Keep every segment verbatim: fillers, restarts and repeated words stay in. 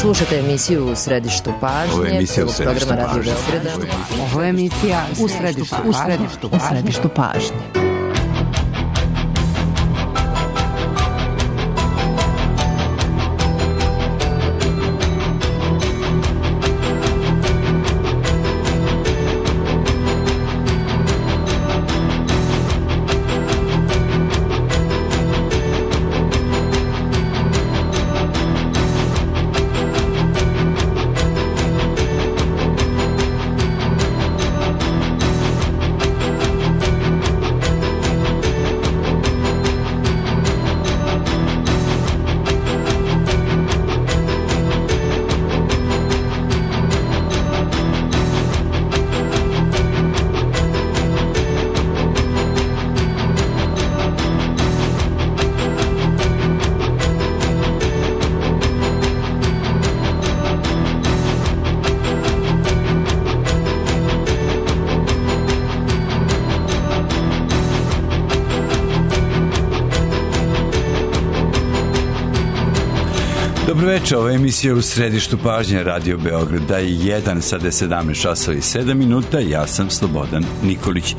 Slušate emisiju U središtu pažnje. Ovo je emisija U središtu programa Radio pažnje. Beograda. Ovo je emisija U središtu, u središtu, u središtu pažnje. Dobro večer, ovo je emisija U središtu pažnje Radio Beograda jedan, sada je sedamnaest časova i sedam minuta, ja sam Slobodan Nikolić.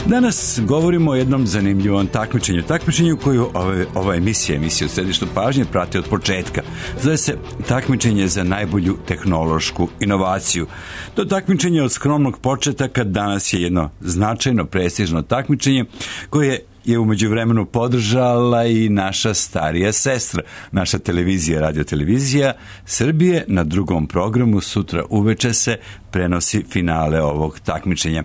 Danas govorimo o jednom zanimljivom takmičenju, takmičenju koju ova, ova emisija, emisija U središtu pažnje prati od početka. Zove se takmičenje za najbolju tehnološku inovaciju. To takmičenje od skromnog početaka danas je jedno značajno, prestižno takmičenje koje je umeđu vremenu podržala i naša starija sestra, naša televizija, radiotelevizija Srbije. Na drugom programu sutra uveče se prenosi finale ovog takmičenja.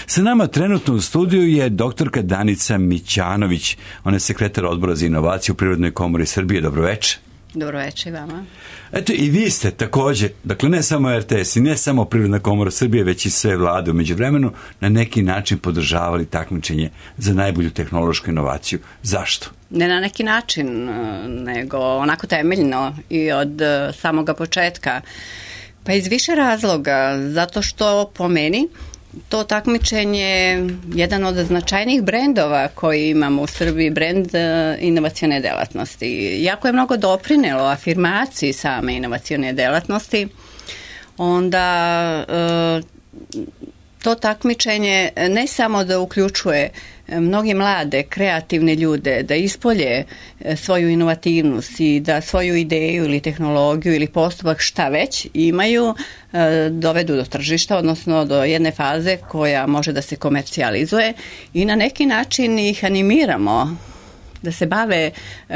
Sa nama trenutno u studiju je doktorka Danica Mićanović. Ona je sekretar odbora za inovaciju u Privrednoj komori Srbije. Dobro večer. Dobro večer vama. Eto, i vi ste također, dakle ne samo er te es i ne samo Privredna komora Srbije, već i sve vlade umeđu vremenu na neki način podržavali takmičenje za najbolju tehnološku inovaciju. Zašto? Ne na neki način, nego onako temeljno i od samoga početka. Pa iz više razloga, zato što po meni to takmičenje je jedan od značajnijih brendova koji imamo u Srbiji, brend inovacione delatnosti. Jako je mnogo doprinelo afirmaciji same inovacione delatnosti, onda to takmičenje ne samo da uključuje mnoge mlade, kreativne ljude da ispolje svoju inovativnost i da svoju ideju ili tehnologiju ili postupak šta već imaju, dovedu do tržišta, odnosno do jedne faze koja može da se komercijalizuje i na neki način ih animiramo da se bave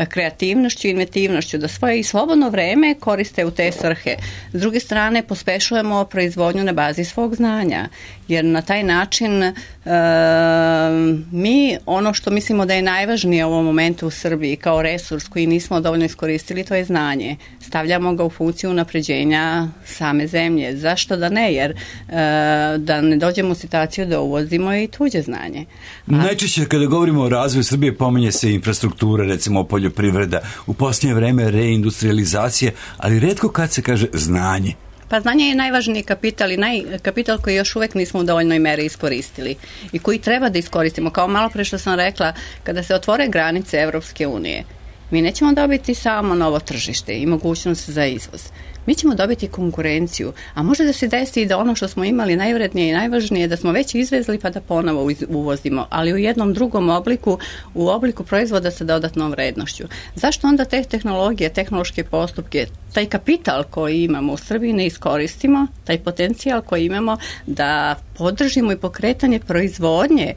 kreativnošću i inventivnošću, da svoje i slobodno vreme koriste u te svrhe. S druge strane, pospešujemo proizvodnju na bazi svog znanja, jer na taj način e, mi ono što mislimo da je najvažnije u ovom momentu u Srbiji kao resurs koji nismo dovoljno iskoristili, to je znanje. Stavljamo ga u funkciju unapređenja same zemlje. Zašto da ne? Jer e, da ne dođemo u situaciju da uvozimo i tuđe znanje. A... Najčešće kada govorimo o razvoju Srbije pominje se infrastruktura, recimo poljoprivreda, u posljednje vreme reindustrializacija, ali retko kad se kaže znanje. Pa znanje je najvažniji kapital i naj, kapital koji još uvek nismo u dovoljnoj meri iskoristili i koji treba da iskoristimo. Kao malo pre što sam rekla, kada se otvore granice Evropske unije, mi nećemo dobiti samo novo tržište i mogućnost za izvoz. Mi ćemo dobiti konkurenciju, a može da se desi i da ono što smo imali najvrednije i najvažnije da smo već izvezli pa da ponovo uvozimo, ali u jednom drugom obliku, u obliku proizvoda sa dodatnom vrednošću. Zašto onda te tehnologije, tehnološke postupke, taj kapital koji imamo u Srbiji ne iskoristimo, taj potencijal koji imamo da podržimo i pokretanje proizvodnje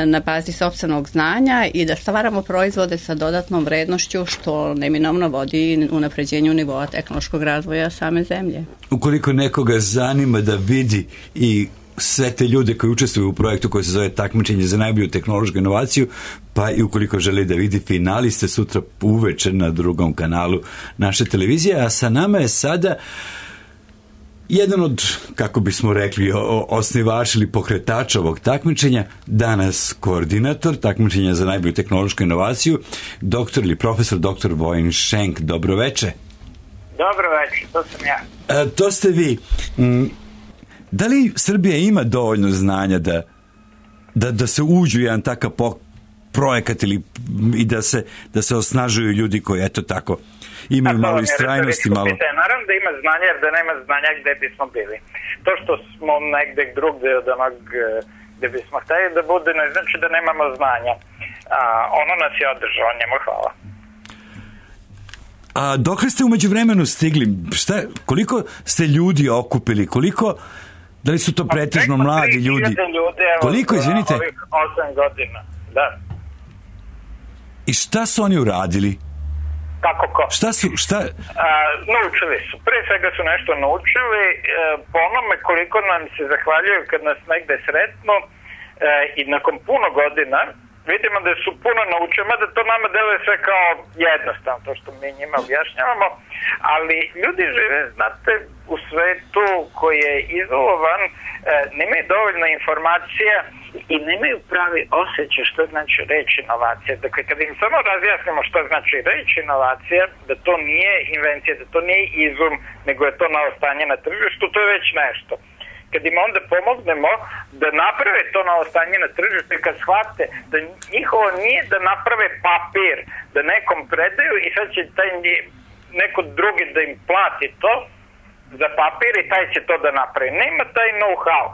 na bazi sopstvenog znanja i da stvaramo proizvode sa dodatnom vrednošću što neminovno vodi unapređenju nivoa tehnološkog razvoja same zemlje. Ukoliko nekoga zanima da vidi i sve te ljude koji učestvuju u projektu koji se zove takmičenje za najbolju tehnološku inovaciju, pa i ukoliko želi da vidi finaliste sutra uveče na drugom kanalu naše televizije, a sa nama je sada jedan od, kako bismo rekli, osnivač ili pokretač ovog takmičenja, danas koordinator takmičenja za najbolju tehnološku inovaciju, doktor ili profesor doktor Vojin Šenk. Dobro veče. Dobro večer, to sam ja. E, to ste vi. Da li Srbija ima dovoljno znanja da, da, da se uđu jedan takav projekat ili i da se, da se osnažuju ljudi koji, eto tako, imaju malo istrajnosti, malo... Naravno da ima znanja, jer da nema znanja gde bismo bili. To što smo negde drugde od onog gde bismo hteli da bude, ne znači da nemamo znanja. A, ono nas je održao, njemu hvala. A dok ste umeđu vremenu stigli, šta, koliko ste ljudi okupili, koliko, da li su to pretežno mladi ljudi? ljudi evo, koliko, izvinite? Ovih osam godina, da. I šta su oni uradili? Kako ko? Šta su, šta? A, naučili su. Pre svega su nešto naučili, e, po onome koliko nam se zahvaljuju kad nas negde sretnu e, i nakon puno godina vidimo da su puno naučili, mada to nama deluje sve kao jednostavno, to što mi njima objašnjavamo, ali ljudi žive, znate, u svetu koji je izolovan, e, nemaju dovoljno informacija i nemaju pravi osjećaj što znači reč inovacija. Dakle, kad im samo razjasnimo što znači reč inovacija, da to nije invencija, da to nije izum, nego je to novo stanje na tržištu, to je već nešto. Kad im onda pomognemo da naprave to novo stanje na tržištu i kad shvate da njihovo nije da naprave papir, da nekom predaju i sad će taj neko drugi da im plati to za papir i taj će to da napravi. Nema taj know-how.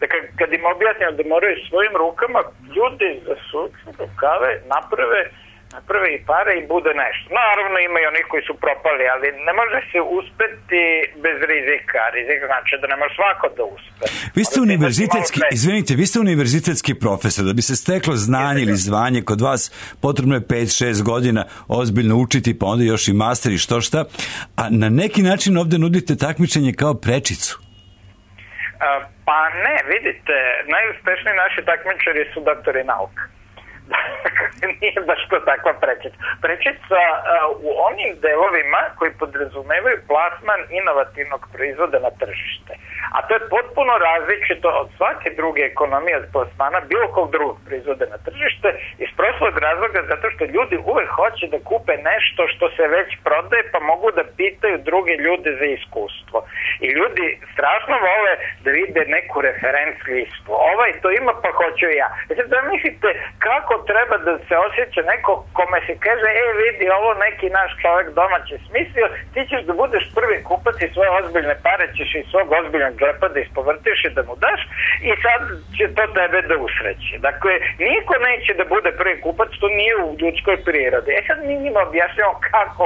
Dakle, kad im objasnimo da moraju svojim rukama, ljudi zasuču rukave, naprave, naprave i pare i bude nešto. Naravno ima i onih koji su propali, ali ne može se uspeti bez rizika. Rizik znači da ne može svako da uspe. Vi ste univerzitetski, izvinite, vi ste univerzitetski profesor, da bi se steklo znanje ili zvanje kod vas potrebno je pet šest godina ozbiljno učiti, pa onda još i master i što šta, a na neki način ovde nudite takmičenje kao prečicu. Pa ne, vidite, najuspešniji naši takmičari su doktori nauka. Nije baš to takva prečica. Prečica uh, u onim delovima koji podrazumevaju plasman inovativnog proizvoda na tržište. A to je potpuno različito od svake druge ekonomije od plasmana bilo kog drugog proizvoda na tržište iz prostog razloga zato što ljudi uvek hoće da kupe nešto što se već prodaje pa mogu da pitaju druge ljude za iskustvo. I ljudi strašno vole da vide neku referenc listu. Ovaj to ima pa hoću ja. Znači da mislite kako treba da se osjeća neko kome se kaže e vidi ovo neki naš čovjek domaći smislio, ti ćeš da budeš prvi kupac i svoje ozbiljne pare ćeš iz svog ozbiljnog džepa da ispovrtiš i da mu daš i sad će to tebe da usreći. Dakle, niko neće da bude prvi kupac, to nije u ljudskoj prirodi. E sad mi njima objašnjamo kako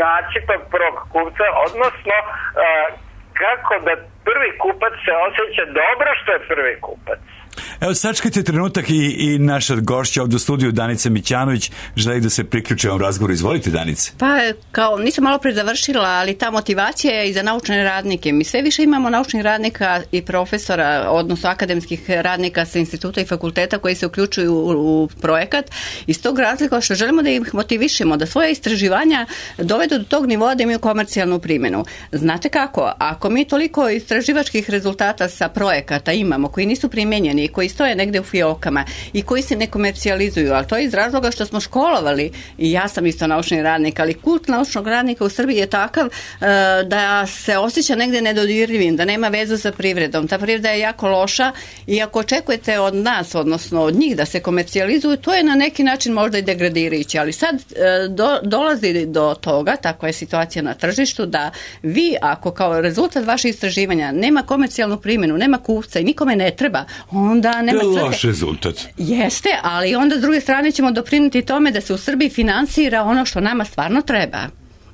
naći tog prvog kupca, odnosno uh, kako da prvi kupac se osjeća dobro što je prvi kupac. Evo, sačekajte trenutak i, i naša gošća ovdje u studiju, Danica Mićanović, želi da se priključi ovom razgovoru. Izvolite, Danice. Pa, kao nisam malo pre završila, ali ta motivacija je i za naučne radnike. Mi sve više imamo naučnih radnika i profesora, odnosno akademskih radnika sa instituta i fakulteta koji se uključuju u, u projekat. Iz tog razlika što želimo da ih motivišemo, da svoje istraživanja dovedu do tog nivoa da imaju komercijalnu primjenu. Znate kako? Ako mi toliko istraživačkih rezultata sa projekata imamo koji nisu primjenjeni, koji stoje negde u fiokama i koji se ne komercijalizuju, ali to je iz razloga što smo školovali, i ja sam isto naučni radnik, ali kult naučnog radnika u Srbiji je takav uh, da se osjeća negde nedodirljivim, da nema vezu sa privredom. Ta privreda je jako loša i ako očekujete od nas, odnosno od njih da se komercijalizuju, to je na neki način možda i degradirajuće, ali sad uh, do, dolazi do toga, takva je situacija na tržištu, da vi ako kao rezultat vaše istraživanja nema komercijalnu primjenu, nema kupca i nikome ne treba, onda nema svrhe. To je loš rezultat. Jeste, ali onda s druge strane ćemo doprinijeti tome da se u Srbiji finansira ono što nama stvarno treba.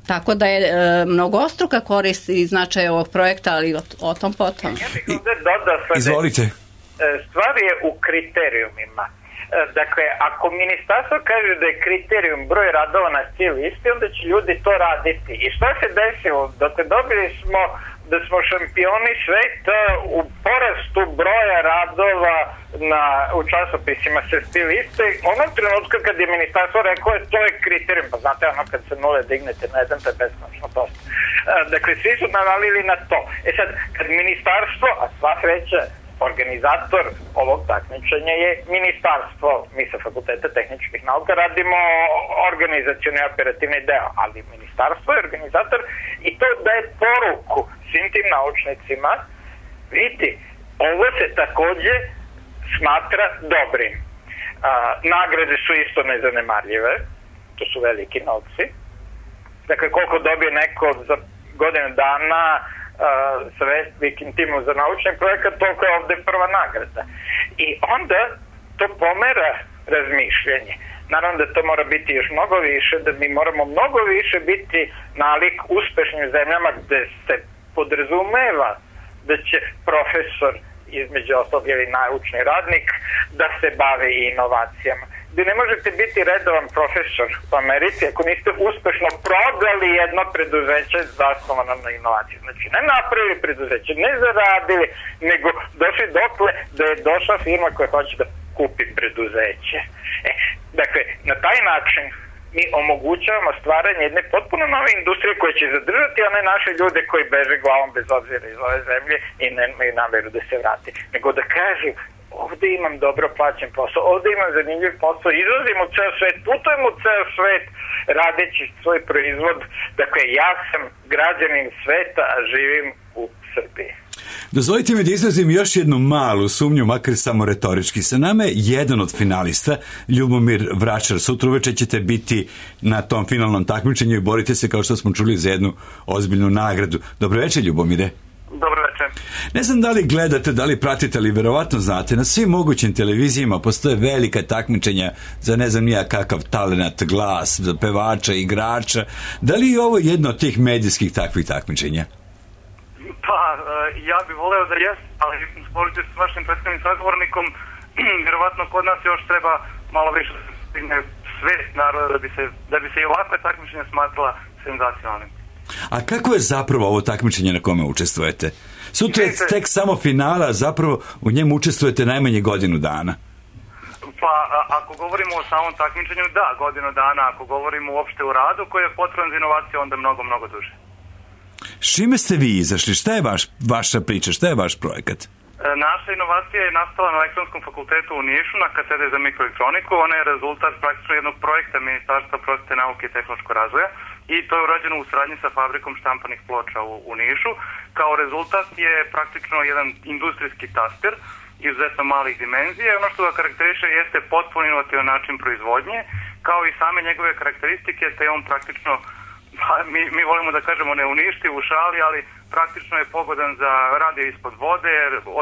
Tako da je e, mnogostruka korist i značaj ovog projekta, ali o, o tom potom. Ja bih ovdje dodao sada. Izvolite. Stvar je u kriterijumima. Dakle, ako ministarstvo kaže da je kriterijum broj radova na cijel listi, onda će ljudi to raditi. I šta se desilo? Dakle, dobili smo da smo šampioni sveta u porastu broja radova na, u časopisima sa sti liste. Onog trenutka kad je ministarstvo rekao je to je kriterijum, pa znate ono kad se nule dignete na jedan, to je beskonačno dosta. Dakle, svi su navalili na to. E sad, kad ministarstvo, a sva sreća, organizator ovog takmičenja je ministarstvo. Mi sa Fakulteta tehničkih nauka radimo organizacioni i operativni deo, ali ministarstvo je organizator i to daje poruku svim tim naučnicima, vidite, ovo se takođe smatra dobrim. A, nagrade su isto nezanemarljive, to su veliki novci. Dakle, koliko dobije neko za godinu dana uh, sa velikim timom za naučni projekat, toliko je ovde prva nagrada. I onda to pomera razmišljanje. Naravno da to mora biti još mnogo više, da mi moramo mnogo više biti nalik uspešnim zemljama gde se podrazumeva da će profesor, između ostalog ili naučni radnik, da se bave i inovacijama. Gde ne možete biti redovan profesor u Americi ako niste uspešno prodali jedno preduzeće zasnovano na inovaciji. Znači, ne napravili preduzeće, ne zaradili, nego došli dokle da je došla firma koja hoće da kupi preduzeće. E, dakle, na taj način mi omogućavamo stvaranje jedne potpuno nove industrije koja će zadržati one naše ljude koji beže glavom bez obzira iz ove zemlje i nemaju nameru da se vrati. Nego da kažu, ovde imam dobro plaćen posao, ovde imam zanimljiv posao, izlazim u ceo svet, putujem u ceo svet radeći svoj proizvod. Dakle, ja sam građanin sveta, a živim u Srbiji. Dozvolite mi da izrazim još jednu malu sumnju, makar samo retorički. Sa nama je jedan od finalista, Ljubomir Vračar. Sutra uveče ćete biti na tom finalnom takmičenju i borite se, kao što smo čuli, za jednu ozbiljnu nagradu. Dobro večer, Ljubomire. Dobro večer. Ne znam da li gledate, da li pratite, ali verovatno znate, na svim mogućim televizijama postoje velika takmičenja za ne znam nija kakav talenat, glas, za pevača, igrača. Da li je ovo jedno od tih medijskih takvih takmičenja? Pa, ja bih voleo da jest, ali sporučujući s vašim predstavnim sagovornikom, vjerovatno kod nas još treba malo više stigne svest naroda da bi se, da bi se i ovakve takmičenja smatrala senzacionalnim. A kako je zapravo ovo takmičenje na kome učestvujete? Sutra je tek samo finala, zapravo u njemu učestvujete najmanje godinu dana. Pa, a, ako govorimo o samom takmičenju, da, godinu dana. Ako govorimo uopšte u radu koji je potreban za inovaciju, onda mnogo, mnogo duže. S čime ste vi izašli? Šta je vaš, vaša priča? Šta je vaš projekat? E, naša inovacija je nastala na Elektronskom fakultetu u Nišu, na katedri za mikroelektroniku. Ona je rezultat praktično jednog projekta Ministarstva prosvete, nauke i tehnološkog razvoja i to je urađeno u saradnji sa fabrikom štampanih ploča u, u Nišu. Kao rezultat je praktično jedan industrijski taster izuzetno malih dimenzija. Ono što ga karakteriše jeste potpuno inovativan način proizvodnje, kao i same njegove karakteristike, te on praktično, mi, mi volimo da kažemo ne uništi u šali, ali praktično je pogodan za radio ispod vode,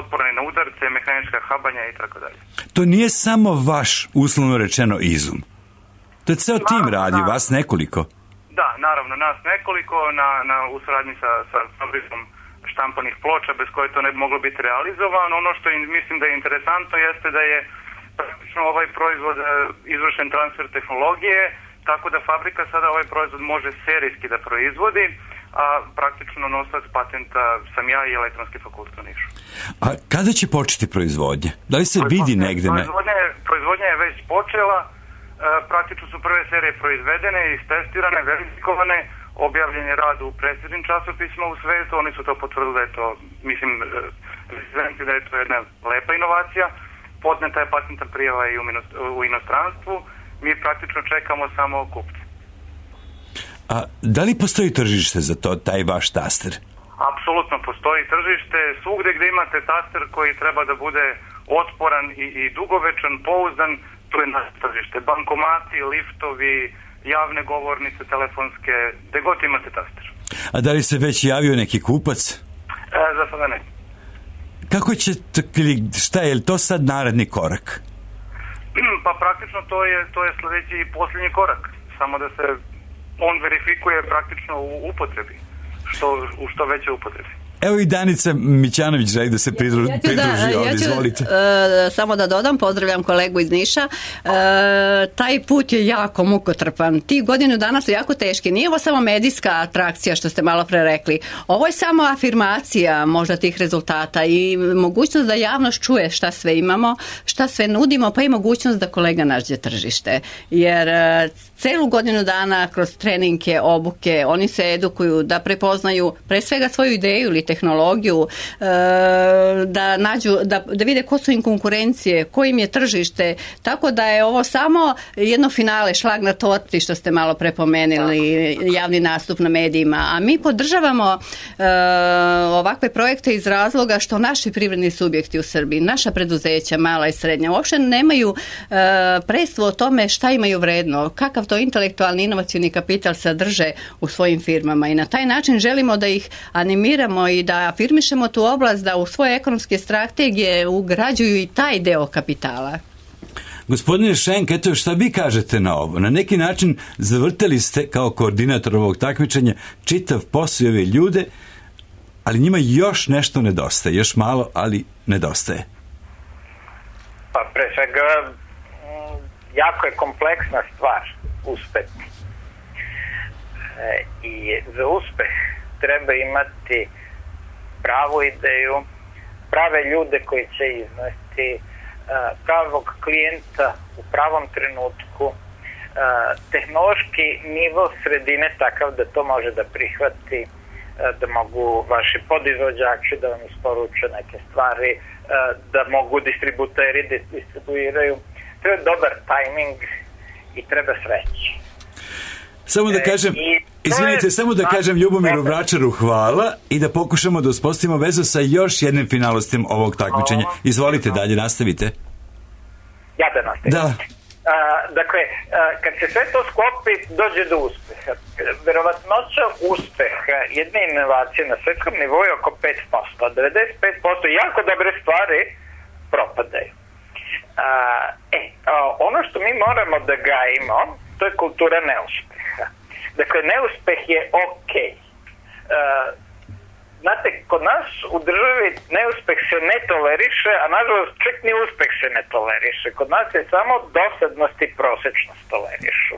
otporan na udarce, mehanička habanja i tako dalje. To nije samo vaš, uslovno rečeno, izum. To je ceo tim radi, na, vas nekoliko. Da, naravno, nas nekoliko na, na, u saradnji sa, sa fabrikom štampanih ploča, bez koje to ne bi moglo biti realizovano. Ono što je, mislim da je interesantno jeste da je praktično ovaj proizvod izvršen transfer tehnologije, tako da fabrika sada ovaj proizvod može serijski da proizvodi, a praktično nosac patenta sam ja i Elektronski fakultet u Nišu. A kada će početi proizvodnja? Da li se vidi negde? Proizvodnja, proizvodnja je već počela, e, praktično su prve serije proizvedene, istestirane, verifikovane, objavljen je rad u prestižnim časopisima u svetu, oni su to potvrdili da je to, mislim, da je to jedna lepa inovacija, podneta je patentna prijava i u inostranstvu, mi praktično čekamo samo kupce. A da li postoji tržište za to, taj vaš taster? Apsolutno postoji tržište, svugde gde imate taster koji treba da bude otporan i, i dugovečan, pouzdan, to je naše tržište. Bankomati, liftovi, javne govornice, telefonske, gde god imate taster. A da li se već javio neki kupac? E, za sada ne. Kako će, šta je to sad naredni korak? Pa praktično to je, to je sledeći i posljednji korak. Samo da se on verifikuje praktično u upotrebi, što, u što veće upotrebi. Evo i Danica Mićanović želi da se pridruži, ja, ja pridruži da, ovdje, ja ću, izvolite. Uh, samo da dodam, pozdravljam kolegu iz Niša. Uh, taj put je jako mukotrpan. Ti godinu dana su jako teški. Nije ovo samo medijska atrakcija što ste malo pre rekli. Ovo je samo afirmacija možda tih rezultata i mogućnost da javnost čuje šta sve imamo, šta sve nudimo, pa i mogućnost da kolega nađe tržište. Jer uh, celu godinu dana kroz treninge, obuke, oni se edukuju da prepoznaju pre svega svoju ideju ili tehnologiju tehnologiju, da nađu, da, da vide ko su im konkurencije, ko im je tržište, tako da je ovo samo jedno finale, šlag na torti što ste malo prepomenuli, javni nastup na medijima, a mi podržavamo ovakve projekte iz razloga što naši privredni subjekti u Srbiji, naša preduzeća, mala i srednja, uopšte nemaju predstavu o tome šta imaju vredno, kakav to intelektualni inovacioni kapital sadrže u svojim firmama i na taj način želimo da ih animiramo i da afirmišemo tu oblast, da u svoje ekonomske strategije ugrađuju i taj deo kapitala. Gospodine Šenk, eto šta vi kažete na ovo? Na neki način zavrteli ste kao koordinator ovog takmičenja čitav posao i ove ljude, ali njima još nešto nedostaje, još malo, ali nedostaje. Pa pre svega jako je kompleksna stvar uspeh. E, I za uspeh treba imati pravu ideju, prave ljude koji će iznesti, pravog klijenta u pravom trenutku, tehnološki nivo sredine takav da to može da prihvati, da mogu vaši podizvođači da vam isporuče neke stvari, da mogu distributeri da distribuiraju. Treba dobar tajming i treba sreće. Samo da kažem, izvinite, samo da kažem Ljubomiru Vračaru hvala i da pokušamo da uspostavimo vezu sa još jednim finalostima ovog takmičenja. Izvolite dalje, nastavite. Ja da nastavim. Da. A, dakle, a, kad se sve to sklopi, dođe do uspeha. Verovatnoća uspeha jedne inovacije na svetskom nivou je oko pet posto. devedeset pet posto jako dobre stvari propadaju. A, e, a, ono što mi moramo da gajimo, to je kultura neuspeha. Dakle, neuspeh je okej. Okay. Znate, kod nas u državi neuspeh se ne toleriše, a nažalost čak ni uspeh se ne toleriše. Kod nas je samo dosadnost i prosečnost tolerišu.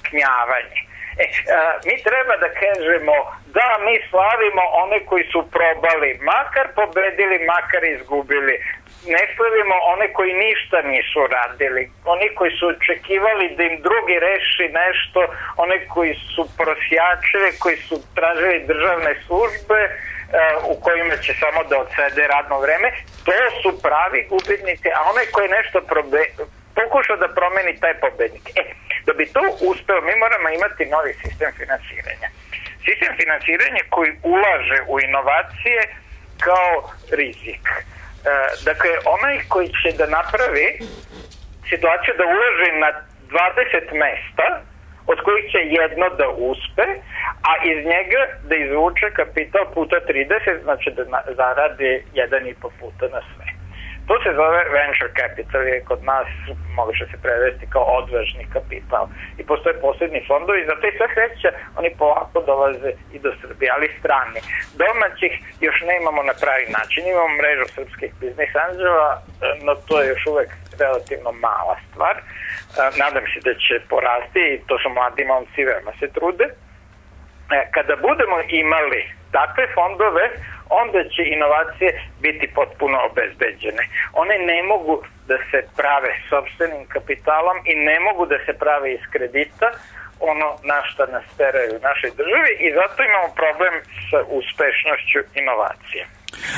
Knjavanje. E, a, mi treba da kažemo da mi slavimo one koji su probali, makar pobedili, makar izgubili. Ne slavimo one koji ništa nisu radili, oni koji su očekivali da im drugi reši nešto, one koji su prosjačili, koji su tražili državne službe uh, u kojima će samo da odsede radno vreme, to su pravi gubitnici, a onaj koji nešto probe, pokušao da promeni taj pobednik. E, da bi to uspeo, mi moramo imati novi sistem finansiranja. Sistem finansiranja koji ulaže u inovacije kao rizik. Dakle, onaj koji će da napravi situaciju da uloži na dvadeset mesta, od kojih će jedno da uspe, a iz njega da izvuče kapital puta trideset, znači da zaradi jedan i po puta na sve. To se zove venture capital, je kod nas može se prevesti kao odvažni kapital. I postoje posebni fondovi i zato i sve kreće, oni polako dolaze i do Srbije, ali strani. Domaćih još ne imamo na pravi način. Imamo mrežu srpskih biznis anđela, no to je još uvek relativno mala stvar. Nadam se da će porasti i to su mladi momci, veoma se trude. Kada budemo imali takve fondove, onda će inovacije biti potpuno obezbeđene. One ne mogu da se prave sopstvenim kapitalom i ne mogu da se prave iz kredita, ono na šta nas teraju u našoj državi i zato imamo problem sa uspešnošću inovacije.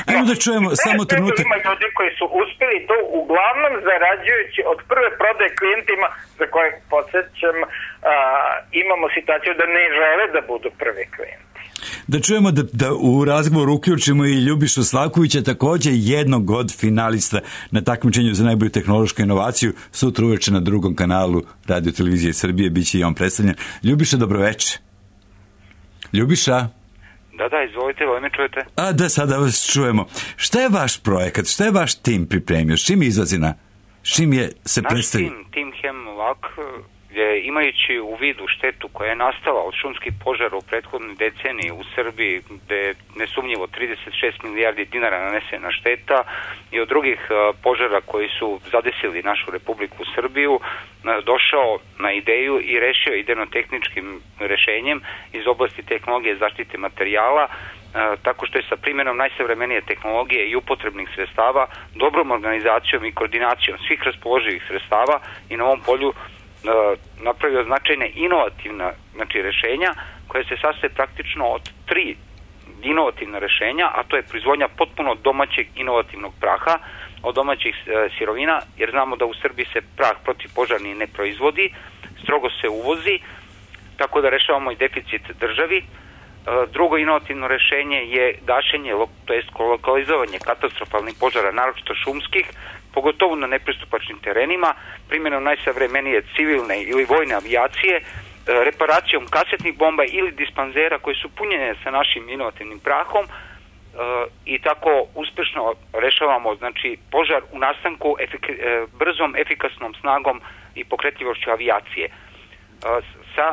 Ajmo da čujemo no, samo trenutak. Ima ljudi koji su uspeli to uglavnom zarađujući od prve prodaje klijentima za koje podsjećam a, imamo situaciju da ne žele da budu prvi klijenti. Da čujemo da, da u razgovoru uključimo i Ljubišu Slavkovića, također jednog od finalista na takmičenju za najbolju tehnološku inovaciju. Sutra uveče na drugom kanalu Radio Televizije Srbije biće i on predstavljen. Ljubiša, dobroveče. Ljubiša? Da, da, izvolite, ovo me čujete? A da, sada vas čujemo. Šta je vaš projekat? Šta je vaš tim pripremio? S čim izlazi na? S čim je se Naš predstavi? Naš tim, tim Hemlock, je imajući u vidu štetu koja je nastala od šumskih požara u prethodnoj deceniji u Srbiji, gde je nesumnjivo trideset šest milijardi dinara nanesena šteta i od drugih požara koji su zadesili našu Republiku Srbiju, došao na ideju i rešio idejno-tehničkim rešenjem iz oblasti tehnologije zaštite materijala, tako što je sa primjenom najsavremenije tehnologije i upotrebnih sredstava, dobrom organizacijom i koordinacijom svih raspoloživih sredstava i na ovom polju napravio značajne inovativna znači, rešenja koje se sastoje praktično od tri inovativna rešenja, a to je proizvodnja potpuno domaćeg inovativnog praha od domaćih e, sirovina, jer znamo da u Srbiji se prah protivpožarni ne proizvodi, strogo se uvozi, tako da rešavamo i deficit državi. E, drugo inovativno rešenje je gašenje, to jest lokalizovanje katastrofalnih požara, naročito šumskih, pogotovo na nepristupačnim terenima, primjenom najsavremenije civilne ili vojne avijacije, reparacijom kasetnih bomba ili dispanzera koje su punjene sa našim inovativnim prahom, i tako uspešno rešavamo, znači, požar u nastanku efik brzom, efikasnom snagom i pokretljivošću avijacije. Sa,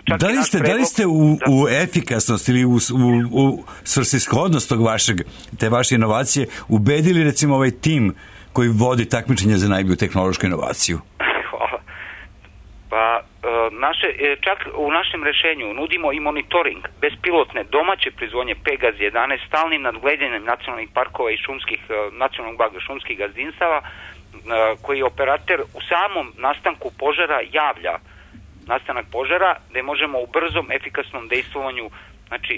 čak da, li ste, predlog, da li ste u, da, u efikasnost ili u, u, u svrsishodnost tog vašeg, te vaše inovacije ubedili recimo ovaj tim koji vodi takmičenje za najbolju tehnološku inovaciju? Hvala. Pa naše, čak u našem rešenju nudimo i monitoring bespilotne domaće proizvodnje Pegaz jedanaest stalnim nadgledanjem nacionalnih parkova i šumskih, nacionalnog blaga šumskih gazdinstava, koji operater u samom nastanku požara javlja nastanak požara, gde možemo u brzom, efikasnom dejstvovanju, znači,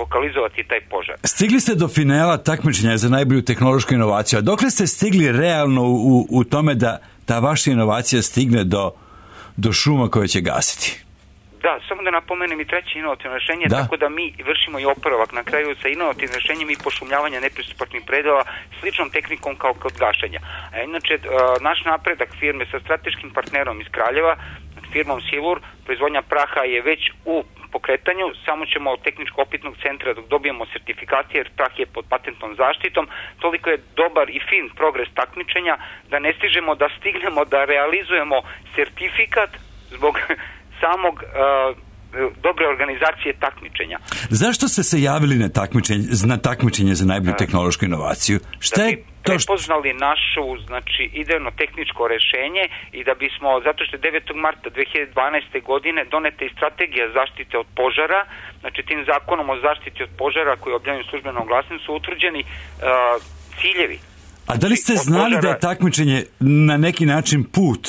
lokalizovati taj požar. Stigli ste do finala takmičenja za najbolju tehnološku inovaciju, a dokle ste stigli realno u, u tome da ta vaša inovacija stigne do do šuma koje će gasiti? Da, samo da napomenem i treće inovativno rešenje, da. Tako da mi vršimo i oporavak na kraju sa inovativnim rešenjem i pošumljavanja nepristupačnih predela sličnom tehnikom kao kod gašenja. A inače, naš napredak firme sa strateškim partnerom iz Kraljeva, firmom Silur, proizvodnja praha je već u pokretanju, samo ćemo od tehničko-opitnog centra dok dobijemo sertifikate, jer prah je pod patentnom zaštitom, toliko je dobar i fin progres takmičenja da ne stižemo da stignemo da realizujemo sertifikat zbog samog uh, dobre organizacije takmičenja. Zašto ste se javili na takmičenje, na takmičenje za najbolju tehnološku inovaciju? Šta je to što... prepoznali našu, znači, idejno tehničko rešenje i da bismo, zato što je devetog marta dve hiljade dvanaeste. godine doneta i strategija zaštite od požara, znači tim zakonom o zaštiti od požara koji je objavljen u službenom glasniku su utvrđeni uh, ciljevi. A da li ste znali požara... da je takmičenje na neki način put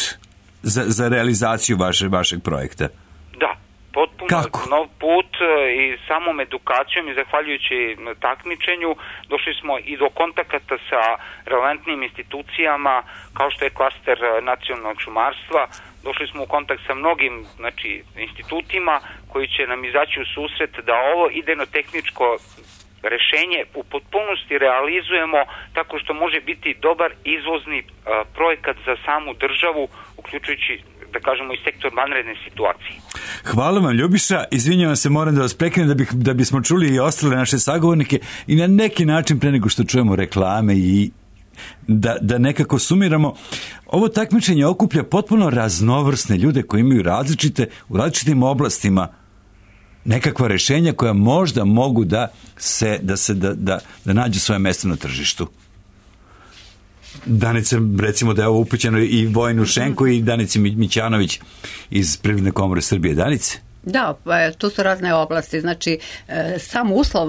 za, za realizaciju vaše, vašeg projekta? Da. Potpuno Kako? nov put i samom edukacijom i zahvaljujući takmičenju došli smo i do kontakata sa relevantnim institucijama kao što je klaster nacionalnog šumarstva, došli smo u kontakt sa mnogim, znači, institutima koji će nam izaći u susret da ovo idejno-tehničko rešenje u potpunosti realizujemo tako što može biti dobar izvozni a, projekat za samu državu, uključujući, da kažemo, i sektor vanredne situacije. Hvala vam, Ljubiša. Izvinjavam se, moram da vas prekinem da, bih, da bismo čuli i ostale naše sagovornike i na neki način pre nego što čujemo reklame i da, da nekako sumiramo. Ovo takmičenje okuplja potpuno raznovrsne ljude koji imaju različite, u različitim oblastima nekakva rešenja koja možda mogu da se, da, se, da, da, da nađu svoje mesto na tržištu. Danice, recimo da je ovo upućeno i Vojinu Šenku i Danici Mićanović iz Privredne komore Srbije. Danice? Da, tu su razne oblasti, znači sam uslov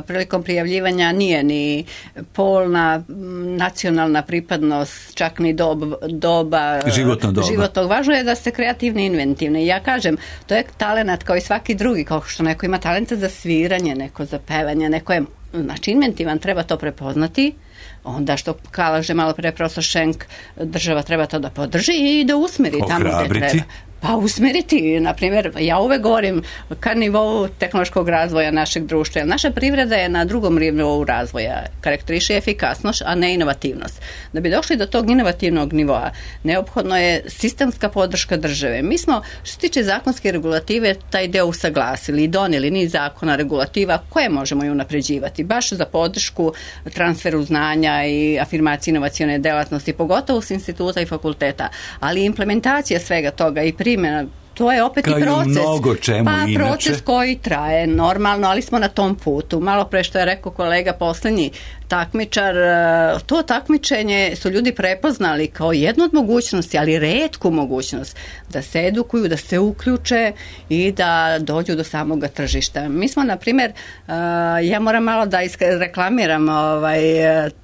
prilikom prijavljivanja nije ni polna, nacionalna pripadnost, čak ni dob, doba, životno doba. životnog. Važno je da ste kreativni i inventivni. Ja kažem, to je talenat kao i svaki drugi, kao što neko ima talenta za sviranje, neko za pevanje, neko je, znači, inventivan, treba to prepoznati. Onda što kaže malo pre profesor Šenk, država treba to da podrži i da usmeri tamo gde treba. Pa usmeriti, na primjer, ja uvek govorim ka nivou tehnološkog razvoja našeg društva. Naša privreda je na drugom nivou razvoja, karakteriše efikasnost, a ne inovativnost. Da bi došli do tog inovativnog nivoa, neophodno je sistemska podrška države. Mi smo, što se tiče zakonske regulative, taj deo usaglasili i donijeli niz zakona, regulativa koje možemo i unapređivati, baš za podršku transferu znanja i afirmaciji inovacione delatnosti, pogotovo s instituta i fakulteta, ali implementacija svega toga i primjena, to je opet kao i proces. Mnogo čemu pa inače. Proces koji traje normalno, ali smo na tom putu. Malo pre što je rekao kolega poslednji takmičar, to takmičenje su ljudi prepoznali kao jednu od mogućnosti, ali retku mogućnost da se edukuju, da se uključe i da dođu do samoga tržišta. Mi smo, na primjer, ja moram malo da reklamiram ovaj,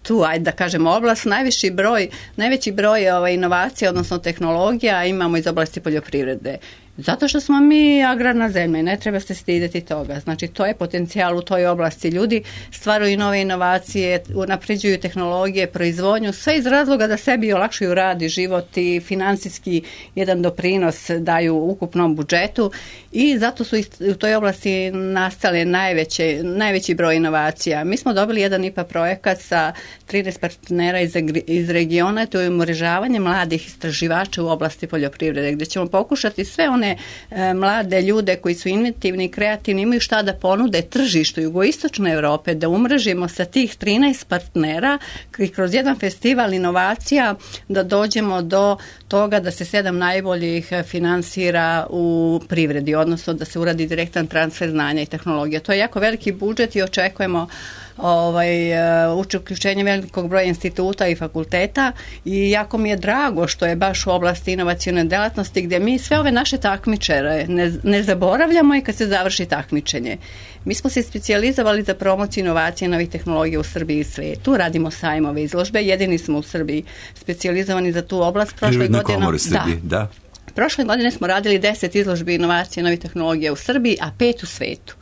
tu, ajde da kažemo, oblast, najviši broj, najveći broj ovaj, inovacija, odnosno tehnologija imamo iz oblasti poljoprivrede. Zato što smo mi agrarna zemlja i ne treba se stideti toga. Znači, to je potencijal u toj oblasti. Ljudi stvaraju nove inovacije, unapređuju tehnologije, proizvodnju, sve iz razloga da sebi olakšaju rad i život i financijski jedan doprinos daju ukupnom budžetu i zato su u toj oblasti nastale najveće, najveći broj inovacija. Mi smo dobili jedan I P A projekat sa trinaest partnera iz, iz regiona, to je umrežavanje mladih istraživača u oblasti poljoprivrede, gdje ćemo pokušati sve one e, mlade ljude koji su inventivni i kreativni, imaju šta da ponude tržištu jugoistočne Europe, da umrežimo sa tih trinaest partnera i kroz jedan festival inovacija da dođemo do toga da se sedam najboljih finansira u privredi, odnosno da se uradi direktan transfer znanja i tehnologija. To je jako veliki budžet i očekujemo ovaj, uključenje velikog broja instituta i fakulteta i jako mi je drago što je baš u oblasti inovacione delatnosti gdje mi sve ove naše takmičare ne, ne zaboravljamo i kad se završi takmičenje. Mi smo se specijalizovali za promociju inovacije i novih tehnologija u Srbiji i svijetu. Radimo sajmove, izložbe, jedini smo u Srbiji specijalizovani za tu oblast. Prošle godine, da. da. Prošle godine smo radili deset izložbi inovacije i novih tehnologija u Srbiji, a pet u svijetu.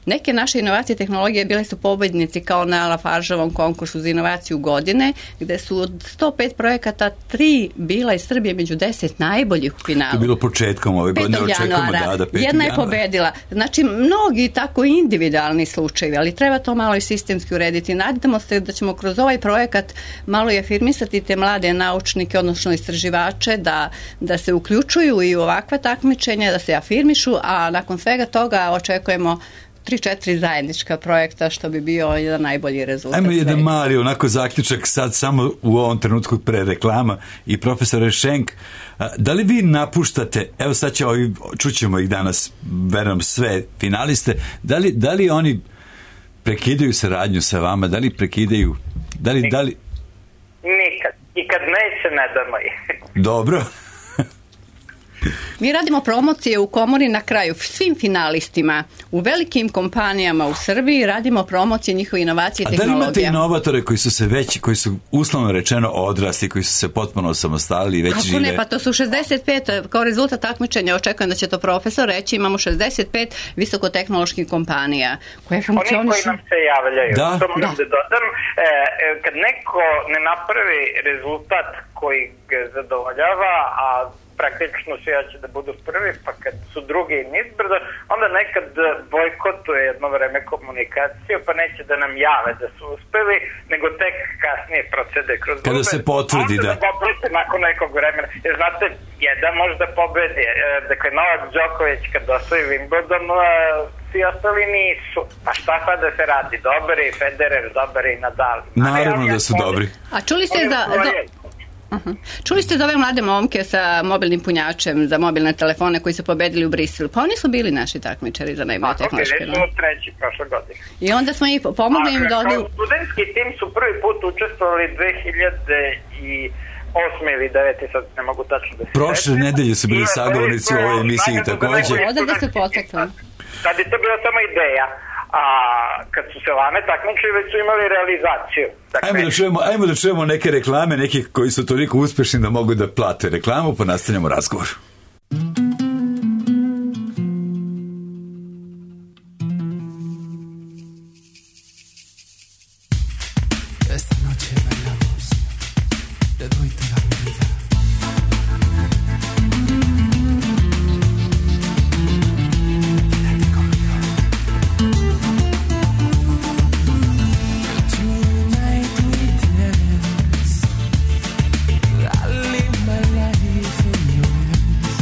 Neke naše inovacije i tehnologije bile su pobjednici kao na Lafargeovom konkursu za inovaciju godine, gdje su od sto pet projekata tri bila iz Srbije među deset najboljih u finalu. To je bilo početkom ove godine, očekujemo da, da petog jedna je januara. pobedila. Znači, mnogi tako individualni slučajevi, ali treba to malo i sistemski urediti. Nadamo se da ćemo kroz ovaj projekat malo i afirmisati te mlade naučnike, odnosno istraživače, da, da se uključuju i u ovakva takmičenja, da se afirmišu, a nakon svega toga očekujemo tri četiri zajednička projekta, što bi bio jedan najbolji rezultat. Ajmo jedan mali onako zaključak sad samo u ovom trenutku pre reklama i profesore Šenk, da li vi napuštate, evo sad će ovi, čućemo ih danas, verujem sve finaliste, da li, da li oni prekidaju saradnju sa vama, da li prekidaju, da li, da li... Nikad. I kad neće, ne damo ih. Dobro. Mi radimo promocije u komori na kraju svim finalistima u velikim kompanijama u Srbiji, radimo promocije njihove inovacije i tehnologije. A da li imate inovatore koji su se već, koji su uslovno rečeno odrasli, koji su se potpuno osamostalili i već Kako žive? ne, pa to su šezdeset pet, kao rezultat takmičenja, očekujem da će to profesor reći, imamo šezdeset pet visokotehnoloških kompanija koje funkcionišu. Oni koji nam se javljaju, da? to moram Da. da dodam, e, kad neko ne napravi rezultat koji ga zadovoljava, a praktično svi će da budu prvi, pa kad su drugi nizbrdo, onda nekad bojkotuje jedno vreme komunikaciju, pa neće da nam jave da su uspeli, nego tek kasnije procede kroz Kada grupe. se potvrdi, da. Onda da poprete nakon nekog vremena. Jer znate, jedan možda pobedi. Dakle, Novak Đoković kad osvoji Wimbledon, svi ostali nisu. Pa šta sad da se radi? Dobar je Federer, dobar je Nadal. Naravno da su dobri. A čuli ste za... za... Uh-huh. Čuli ste za ove mlade momke sa mobilnim punjačem za mobilne telefone koji su pobedili u Briselu? Pa oni su bili naši takmičari za najbolje tehnološke. Tako, bili su treći prošle godine. I onda smo ih pomogli im da odu... Studentski tim su prvi put učestvovali dve hiljade osme ili devete, sad ne mogu tačno da se... Prošle nedelje su bili sagovornici u ovoj emisiji također. Odavde su potekli. Sad je to bila samo ideja. A kad su se lane takmičili, već su imali realizaciju. Dakle, Ajmo da čujemo, ajmo da čujemo neke reklame, nekih koji su toliko uspešni da mogu da plate reklamu, pa nastavljamo razgovor. Esta noche bailamos, te doy toda mi vida. Live my life in your hands.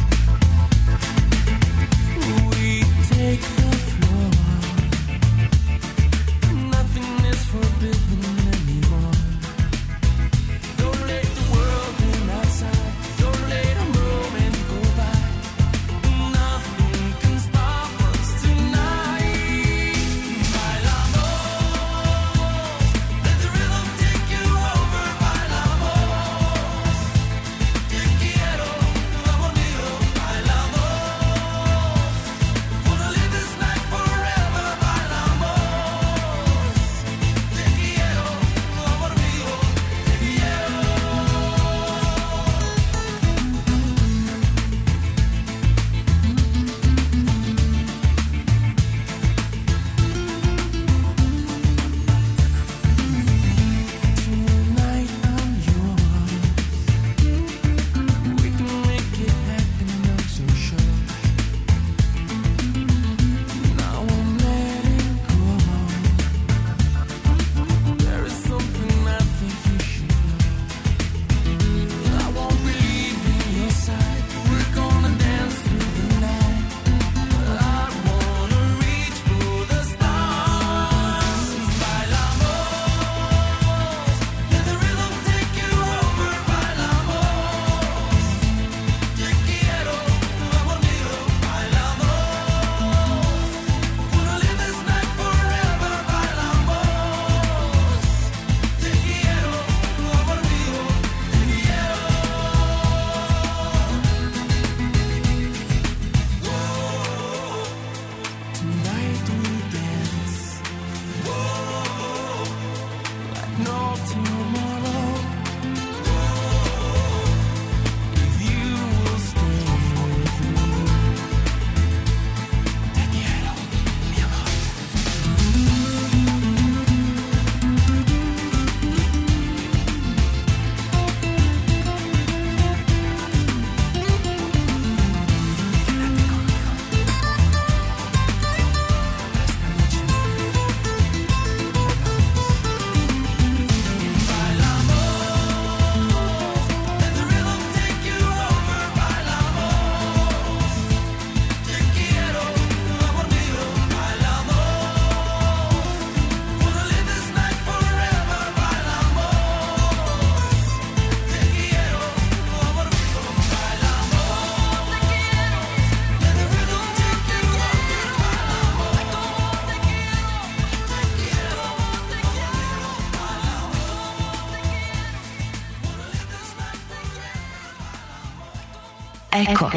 Eko.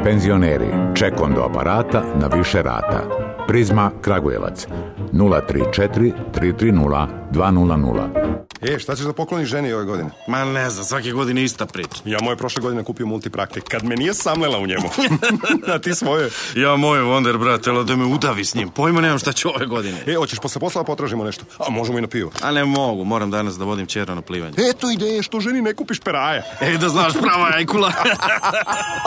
Penzioneri, ček do aparata na više rata. Prizma Kragujevac nula tri četiri tri tri nula dva nula nula. E, šta ćeš da pokloniš ženi ove godine? Ma ne znam, svake godine ista priča. Ja moje prošle godine kupio multipraktik, kad me nije samlela u njemu. A ti svoje? Ja moje Wonder, brate, da me udavi s njim. Pojma nemam šta ću ove godine. E, hoćeš posle posla potražimo nešto? A možemo i na pivo. A ne mogu, moram danas da vodim ćera na plivanje. Eto ideje, što ženi ne kupiš peraja. E, da znaš, prava ajkula.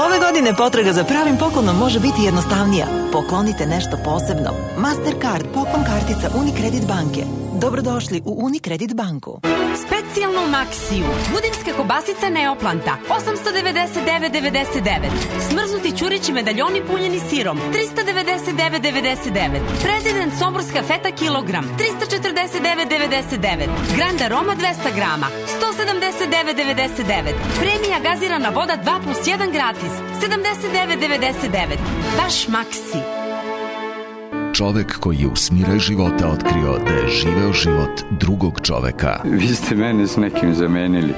Ove godine potraga za pravim poklonom može biti jednostavnija. Poklonite nešto posebno. Mastercard poklon kartica Unicredit banke. Dobrodošli u Unicredit banku. Specijalno u Maksiju. Budimska kobasica Neoplanta. osamsto devedeset devet devedeset devet. Smrznuti ćurići medaljoni punjeni sirom. trista devedeset devet devedeset devet. Prezident Somborska feta kilogram. trista četrdeset devet devedeset devet. Grand Aroma dvesta grama. sto sedamdeset devet devedeset devet. Premija gazirana voda dva plus jedan gratis. sedamdeset devet devedeset devet. Baš Maksi. Čovek koji je u smiraj života otkrio da je živeo život drugog čoveka. Vi ste mene s nekim zamenili.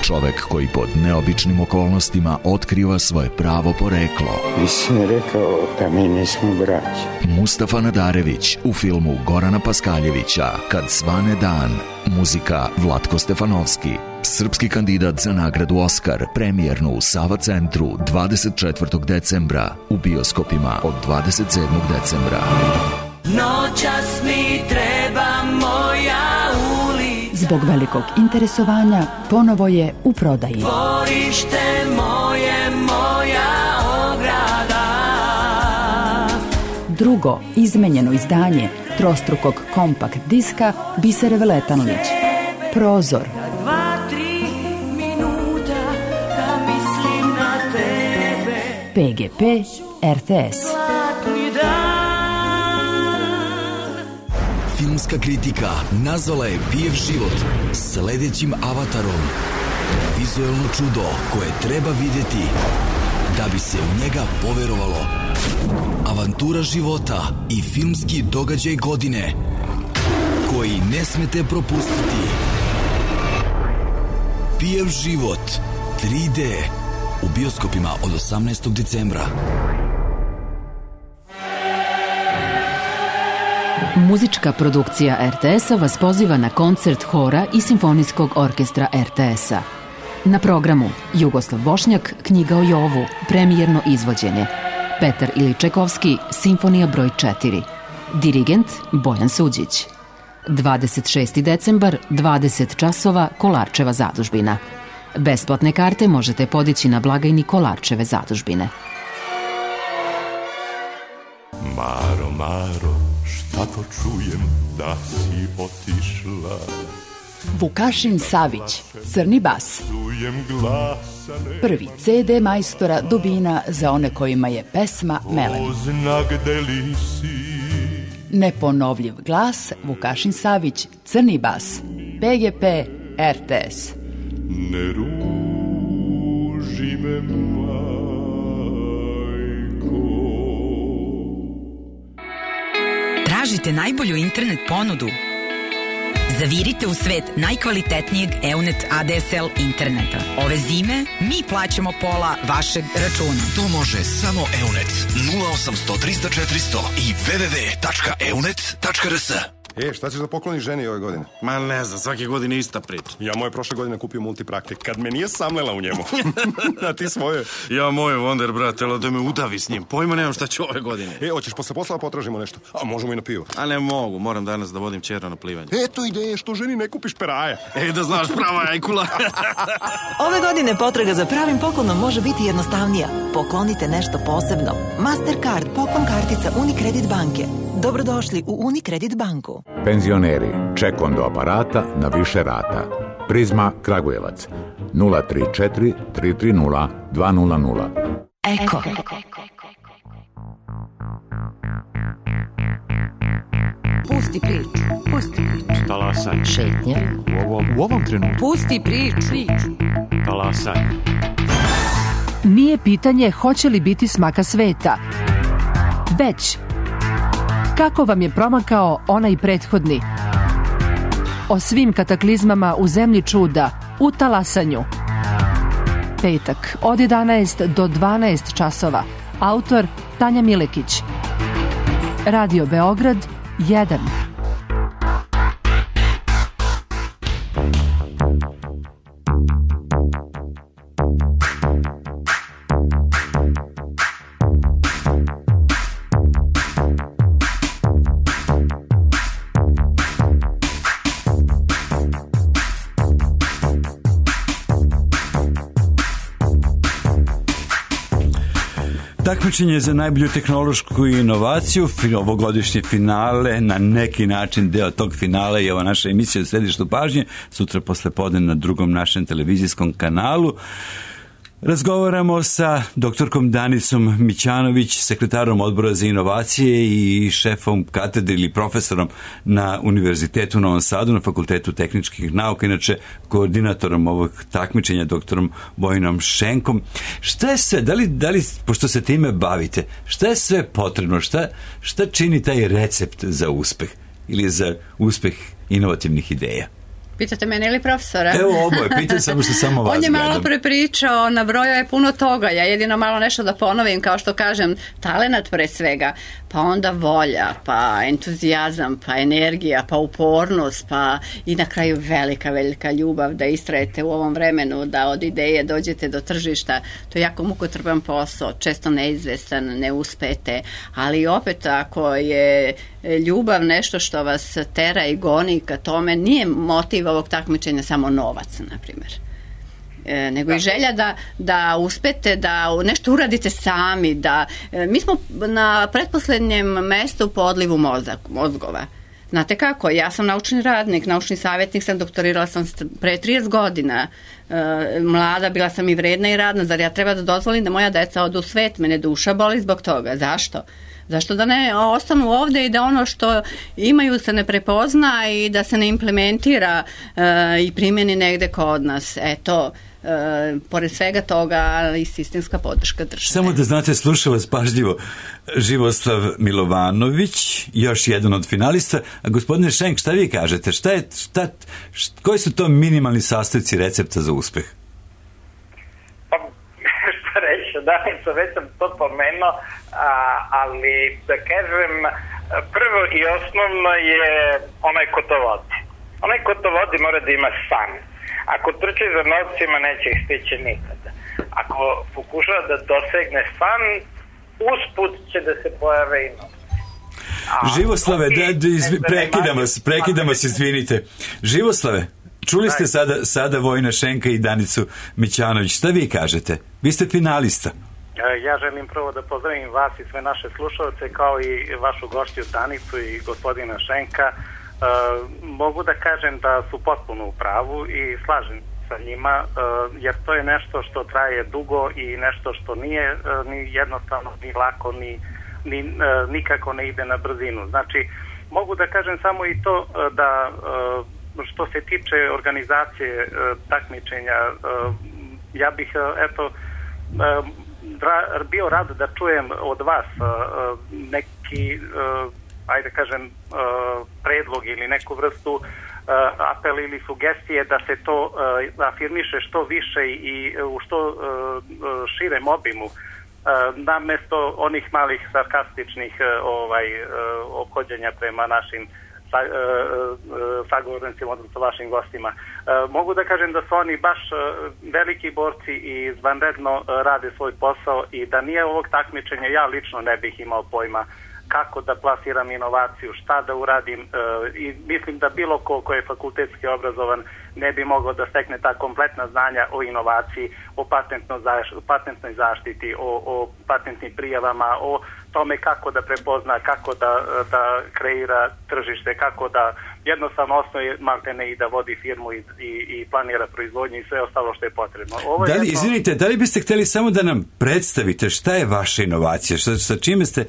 Čovek koji pod neobičnim okolnostima otkriva svoje pravo poreklo. Vi sam rekao da mi nismo braći. Mustafa Nadarević u filmu Gorana Paskaljevića Kad svane dan. Muzika Vlatko Stefanovski. Srpski kandidat za nagradu Oskar, premijernu u Sava centru dvadeset četvrtog decembra, u bioskopima od dvadeset sedmog decembra. Noćas mi treba moja ulica. Zbog velikog interesovanja ponovo je u prodaji. Dvorište moje, moja ograda. Drugo izmenjeno izdanje trostrukog kompakt diska Bisere Veletanović. Prozor. P G P R T S. Filmska kritika nazvala je Pijev život sledećim avatarom. Vizuelno čudo koje treba vidjeti da bi se u njega poverovalo. Avantura života i filmski događaj godine koji ne smete propustiti. Pijev život tri D u bioskopima od osamnaestog decembra. Muzička produkcija R T S-a vas poziva na koncert hora i simfonijskog orkestra R T S-a. Na programu Jugoslav Bošnjak, Knjiga o Jovu, premijerno izvođenje. Petar Iličekovski, Simfonija broj četiri. Dirigent Bojan Suđić. dvadeset šesti decembar, dvadeset časova, Kolarčeva zadužbina. Besplatne karte možete podići na blagajni Kolarčeve zadužbine. Maro, Maro, šta to čujem da si otišla? Vukašin Savić, Crni bas. Prvi C D majstora Dubina za one kojima je pesma melem. Neponovljiv glas Vukašin Savić, Crni bas. P G P R T S. Ne ruži me, majko. Tražite najbolju internet ponudu? Zavirite u svet najkvalitetnijeg Eunet A D S L interneta. Ove zime mi plaćamo pola vašeg računa. To može samo Eunet. nula osamsto trista četiristo i w w w tačka eunet tačka r s. E, šta ćeš da pokloniš ženi ove godine? Ma ne znam, svake godine ista priča. Ja moje prošle godine kupio multipraktik, kad me nije samlela u njemu. A ti svoje? Ja moje Wonder, brate, da me udavi s njim. Pojma nemam šta ću ove godine. E, hoćeš posle posla potražimo nešto? A možemo i na pivo. A ne mogu, moram danas da vodim ćera na plivanje. Eto ideje, što ženi ne kupiš peraja. E, da znaš, prava ajkula. Ove godine potraga za pravim poklonom može biti jednostavnija. Poklonite nešto posebno. Mastercard poklon kartica Unicredit banke. Dobrodošli u Unicredit banku. Penzioneri, ček do aparata na više rata. Prizma Kragujevac nula tri četiri tri tri nula dva nula nula. Eko. Pusti priču, pusti priču. Talasaj. Šetnja. U ovom, u ovom trenutku. Pusti priču. Talasaj. Nije pitanje hoće li biti smaka sveta, već kako vam je promakao onaj prethodni. O svim kataklizmama u zemlji čuda, u talasanju. P petak od jedanaest do dvanaest časova. Autor Tanja Milekić. Radio Beograd jedan. Takmičenje za najbolju tehnološku inovaciju, ovogodišnje finale, na neki način deo tog finala je ova naša emisija u središtu pažnje, sutra posle podne na drugom našem televizijskom kanalu. Razgovaramo sa doktorkom Danicom Mićanović, sekretarom odbora za inovacije i šefom katedre ili profesorom na Univerzitetu u Novom Sadu na Fakultetu tehničkih nauka, inače koordinatorom ovog takmičenja doktorom Bojinom Šenkom. Šta je sve, da li, da li, pošto se time bavite, šta je sve potrebno, šta, šta čini taj recept za uspeh ili za uspeh inovativnih ideja? Pitate mene ili profesora? Evo oboje, pitam samo što samo vas On je malo gledam. prepričao, nabrojao je puno toga, ja jedino malo nešto da ponovim, kao što kažem, talenat pre svega, pa onda volja, pa entuzijazam, pa energija, pa upornost, pa i na kraju velika, velika ljubav da istrajete u ovom vremenu, da od ideje dođete do tržišta. To je jako mukotrpan posao, često neizvestan, ne uspete, ali opet ako je ljubav nešto što vas tera i goni ka tome, nije motiv ovog takmičenja samo novac, na primjer. E, nego i želja da, da uspete, da nešto uradite sami, da e, mi smo na pretposlednjem mestu po odlivu mozak, mozgova. Znate kako, ja sam naučni radnik, naučni savjetnik sam, doktorirala sam pre trideset godina, e, mlada, bila sam i vredna i radna, zar ja treba da dozvolim da moja deca odu u svet, mene duša boli zbog toga, zašto? Zašto da ne ostanu ovde i da ono što imaju se ne prepozna i da se ne implementira e, i primjeni negde kod nas. Eto, e, pored svega toga i sistemska podrška države. Samo da znate, sluša vas pažljivo Živoslav Milovanović, još jedan od finalista. A gospodine Šenk, šta vi kažete? Šta je, šta, šta, koji su to minimalni sastojci recepta za uspeh? Danica, već sam to pomenuo, ali da kažem, prvo i osnovno je onaj ko to vodi. Onaj ko to vodi mora da ima san. Ako trči za novcima, neće ih stići nikada. Ako pokušava da dosegne san, usput će da se pojave i novci. Živoslave, da, da, izvi, prekidam vas, prekidam vas, izvinite. Živoslave, čuli ste sada, sada Vojina Šenka i Danicu Mićanović. Šta vi kažete? Vi ste finalista. Ja želim prvo da pozdravim vas i sve naše slušalce, kao i vašu gošću Danicu i gospodina Šenka. E, mogu da kažem da su potpuno u pravu i slažem sa njima, e, jer to je nešto što traje dugo i nešto što nije e, ni jednostavno, ni lako, ni, ni e, nikako ne ide na brzinu. Znači, mogu da kažem samo i to e, da e, što se tiče organizacije e, takmičenja, e, ja bih, e, eto, e, Ra, bio rad da čujem od vas uh, neki, uh, ajde kažem, uh, predlog ili neku vrstu uh, apel ili sugestije da se to uh, afirmiše što više i u što uh, širem obimu, uh, namesto onih malih sarkastičnih uh, ovaj, uh, ophođenja prema našim sa, uh, uh, sagovornicima, odnosno vašim gostima. Uh, mogu da kažem da su oni baš uh, veliki borci i izvanredno uh, rade svoj posao i da nije ovog takmičenja, ja lično ne bih imao pojma kako da plasiram inovaciju, šta da uradim uh, i mislim da bilo ko ko je fakultetski obrazovan ne bi mogao da stekne ta kompletna znanja o inovaciji, o patentno zaš, patentnoj zaštiti, o, o patentnim prijavama, o tome kako da prepozna, kako da, da kreira tržište, kako da jednostavno osnoje maltene i da vodi firmu i, i, i planira proizvodnju i sve ostalo što je potrebno. Ovo da li, jedno... Izvinite, da li biste hteli samo da nam predstavite šta je vaša inovacija, sa, sa čime ste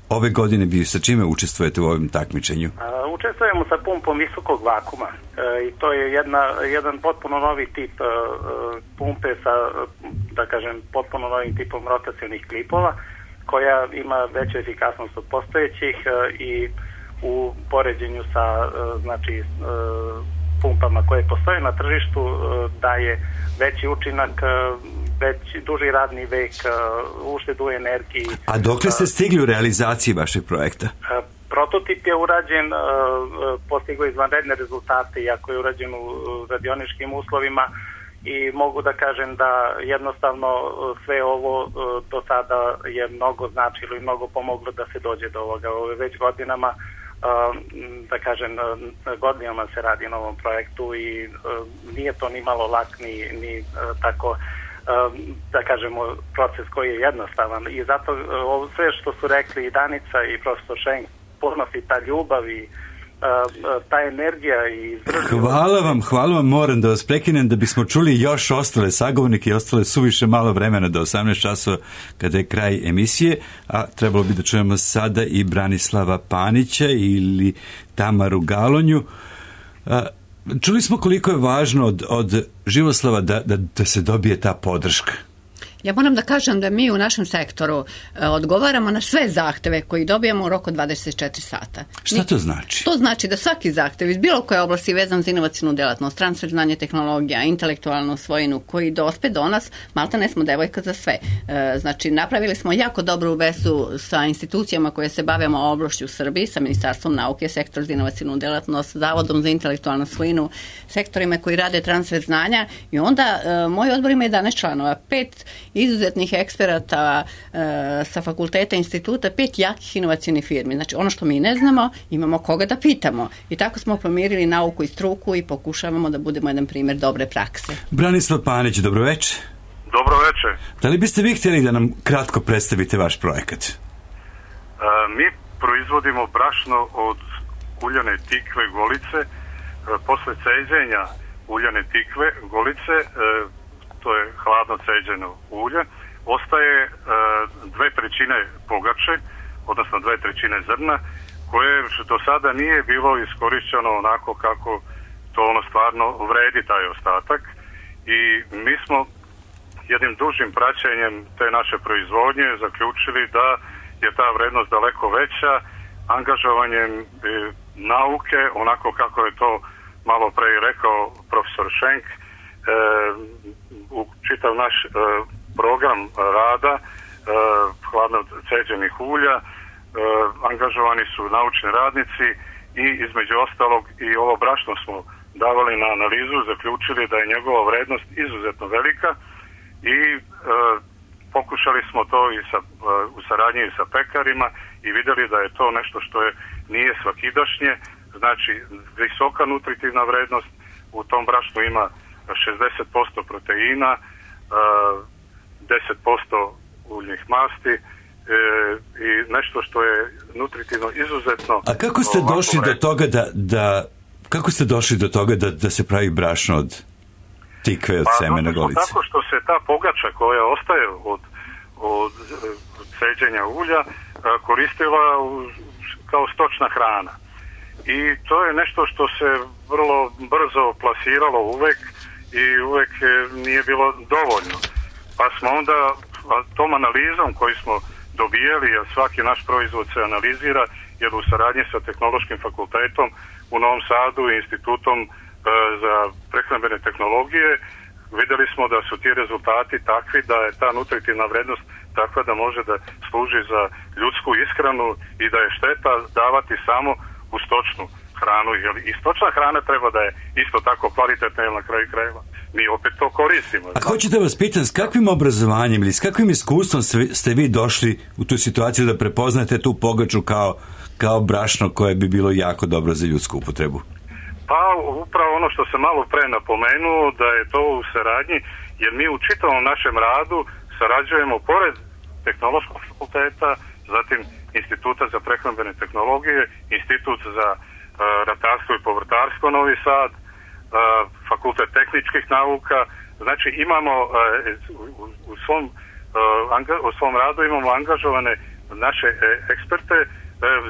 ove godine vi, sa čime učestvujete u ovom takmičenju? Uh, učestvujemo sa pumpom visokog vakuma uh, i to je jedna, jedan potpuno novi tip uh, pumpe sa, da kažem, potpuno novim tipom rotacionih klipova koja ima veću efikasnost od postojećih uh, i u poređenju sa uh, znači uh, pumpama koje postoje na tržištu uh, daje veći učinak, uh, već duži radni vek, uštedu energiji. A dokle ste stigli u realizaciji vašeg projekta? Prototip je urađen, postigao izvanredne rezultate, iako je urađen u radioničkim uslovima, i mogu da kažem da jednostavno sve ovo do sada je mnogo značilo i mnogo pomoglo da se dođe do ovoga. Ove već godinama, da kažem, godinama se radi na ovom projektu i nije to ni malo lak, ni, ni tako, da kažemo, proces koji je jednostavan. I zato ovo sve što su rekli i Danica i profesor Šenk, ponos i ta ljubav i ta energija i izdržljivost. Hvala vam, hvala vam, moram da vas prekinem da bismo čuli još ostale sagovornike i ostale suviše malo vremena do osamnaest časova kada je kraj emisije, a trebalo bi da čujemo sada i Branislava Panića ili Tamaru Galonju. Čuli smo koliko je važno od, od Živoslava da, da, da se dobije ta podrška. Ja moram da kažem da mi u našem sektoru e, odgovaramo na sve zahteve koji dobijamo u roku dvadeset četiri sata. Šta to znači? To znači da svaki zahtev iz bilo koje oblasti vezan za inovacijnu delatnost, transfer znanja, tehnologija, intelektualnu svojinu koji dospe do nas, malta ne smo devojka za sve. E, znači, napravili smo jako dobru vezu sa institucijama koje se bavimo oblašću u Srbiji, sa Ministarstvom nauke, sektor za inovacijnu delatnost, Zavodom za intelektualnu svojinu, sektorima koji rade transfer znanja, i onda e, moj odbor ima jedanaest članova, pet izuzetnih eksperata e, sa fakulteta, instituta, pet jakih inovacijnih firmi. Znači, ono što mi ne znamo, imamo koga da pitamo. I tako smo pomirili nauku i struku i pokušavamo da budemo jedan primjer dobre prakse. Branislav Panić, dobroveče. Dobroveče. Da li biste vi htjeli da nam kratko predstavite vaš projekat? E, mi proizvodimo brašno od uljane tikve golice. E, posle ceđenja uljane tikve golice, e, to je hladno ceđeno ulje, ostaje e, dve trećine pogače, odnosno dve trećine zrna, koje do sada nije bilo iskorišćeno onako kako to ono stvarno vredi, taj ostatak. I mi smo jednim dužim praćenjem te naše proizvodnje zaključili da je ta vrednost daleko veća, angažovanjem e, nauke, onako kako je to malo pre rekao profesor Šenk, e, u čitav naš e, program rada e, hladno ceđenih ulja e, angažovani su naučni radnici i između ostalog i ovo brašno smo davali na analizu, zaključili da je njegova vrednost izuzetno velika i e, pokušali smo to i sa, e, u saradnji sa pekarima i vidjeli da je to nešto što je nije svakidašnje, znači visoka nutritivna vrednost, u tom brašnu ima šezdeset posto proteina, deset posto uljnih masti i nešto što je nutritivno izuzetno. A kako ste došli do toga da, da kako ste došli do toga da, da se pravi brašno od tikve, od pa, semena golice? Tako što se ta pogača koja ostaje od, od ceđenja ulja koristila u, kao stočna hrana. I to je nešto što se vrlo brzo plasiralo uvek i uvek nije bilo dovoljno. Pa smo onda tom analizom koju smo dobijali, jer svaki naš proizvod se analizira, jer u saradnji sa Tehnološkim fakultetom u Novom Sadu i Institutom e, za prehrambene tehnologije, vidjeli smo da su ti rezultati takvi da je ta nutritivna vrednost takva da može da služi za ljudsku ishranu i da je šteta davati samo u stočnu hranu, jer i stočna hrana treba da je isto tako kvalitetna, jer na kraju krajeva mi opet to koristimo. A hoću da vas pitam, s kakvim obrazovanjem ili s kakvim iskustvom ste vi došli u tu situaciju da prepoznate tu pogaču kao, kao brašno koje bi bilo jako dobro za ljudsku upotrebu? Pa upravo ono što sam malo pre napomenuo, da je to u saradnji, jer mi u čitavom našem radu sarađujemo pored Tehnološkog fakulteta, zatim Instituta za prehrambene tehnologije, Institut za uh, ratarstvo i povrtarstvo Novi Sad, uh, Fakultet tehničkih nauka. Znači imamo uh, u, u, svom, uh, anga, u svom radu imamo angažovane naše uh, eksperte uh,